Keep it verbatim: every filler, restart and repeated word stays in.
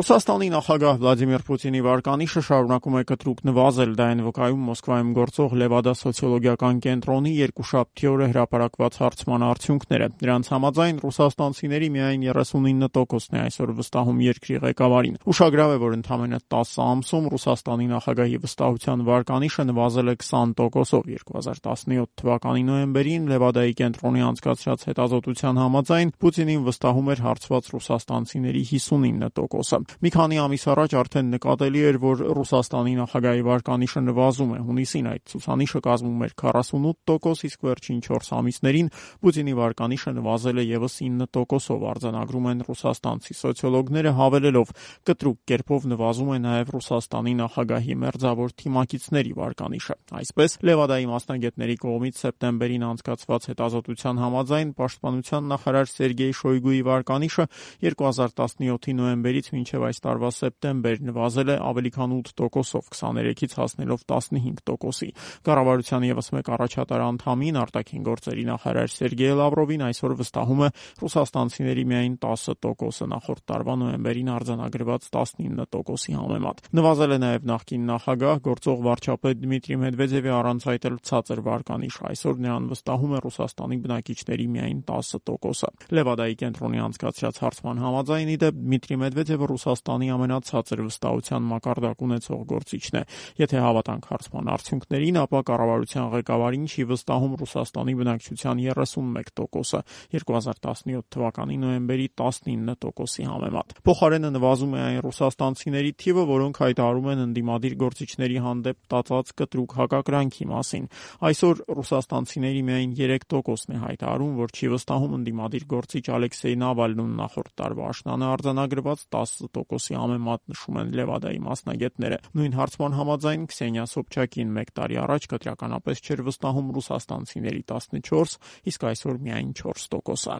Ռուսաստանի նախագահ Վլադիմիր Պուտինի վարկանիշը շարունակում է կտրուկ նվազել, դա են վկայում Մոսկվայում գործող Լևադա սոցիոլոգիական կենտրոնի երկուշաբթի օրը հրապարակված հարցման արդյունքները։ Դրանց համաձայն ռուսաստանցիների միայն երեսունինը տոկոսն է այսօր վստահում երկրի ղեկավարին։ Ուշագրավ է, որ ընդամենը տասը ամսում Ռուսաստանի նախագահի վստահության վարկանիշը նվազել է քսան տոկոսով։ երկու հազար տասնյոթ թվականի նոյեմբերին Լևադայի կենտրոնի անցկացրած հետազոտության համաձայն Պուտինին վստահում էր հարցված ռուսաստանցիների հիսունինը տոկոսը։ Մի քանի ամիս առաջ արդեն նկատելի էր, որ Ռուսաստանի նախագահի վարկանիշը նվազում է։ Հունիսին այդ ցուցանիշը կազմում էր քառասունութ տոկոս, իսկ վերջին չորս ամիսներին Պուտինի վարկանիշը նվազել է ևս ինը տոկոսով, արձանագրում են ռուսաստանցի սոցիոլոգները, հավելելով՝ կտրուկ կերպով նվազում է նաև Ռուսաստանի նախագահի մերձավոր թիմակիցների վարկանիշը։ Այսպես, Լևադայի մասնագետների կողմից սեպտեմբերին անցկացված հետազոտության համաձայն պաշտպանության նախարար Սերգեյ Շոյգուի վարկանիշը երկու հազար տասնյոթի նոյեմբերից մինչև այս տարվա սեպտեմբեր նվազել է ավելի քան ութ տոկոսով, քսաներեքից հասնելով տասնհինգ տոկոսի։ Կառավարության ևս մեկ առաջատար անդամին, արտաքին գործերի նախարար Սերգեյ Լավրովին այսօր վստահում է ռուսաստանցիների միայն տասը տոկոսը, նախորդ տարվա նոյեմբերին արձանագրված տասնինը տոկոսի համեմատ։ Նվազել է նաև նախկին նախագահ, գործող վարչապետ Դմիտրի Մեդվեդևի առանց այդ էլ ցածր վարկանիշ։ Այսօր նրան վստահում է Ռուսաստանի բնակիչների միայն տասը տոկոսը։ Լևադայի կենտրոնի անցկացրած հարցման համաձայն, ի դեպ, Դմիտրի Մեդվեդևը Ռուսաստանի ամենացածր վստահության մակարդակ ունեցող գործիչն է։ Եթե հավատանք հարցման արդյունքներին, ապա կառավարության ղեկավարին չի վստահում Ռուսաստանի բնակչության երեսունմեկ տոկոսը, երկու հազար տասնյոթ թվականի նոյեմբերի տասնինը տոկոսի համեմատ։ Փոխարենը նվազում է այն ռուսաստանցիների թիվը, որոնք հայտարարում են ընդդիմադիր գործիչների հանդեպ տածած կտրուկ հակակրանքի մասին։ Այսօր ռուսաստանցիների միայն երեք տոկոսն է հայտարարում, որ չի վստահում ընդդիմադիր գործիչ Ալեքսեյ Նավալնուն, նախորդ տարվա աշնանը արձանագրված տասը տոկոսի համեմատ, նշում են Լևադայի մասնագետները։ Նույն հարցման համաձայն Քսենիա Սոբչակին մեկ տարի առաջ կտրականապես չէր վստահում ռուսաստանցիների տասնչորս, իսկ այսօր միայն չորս տոկոսը։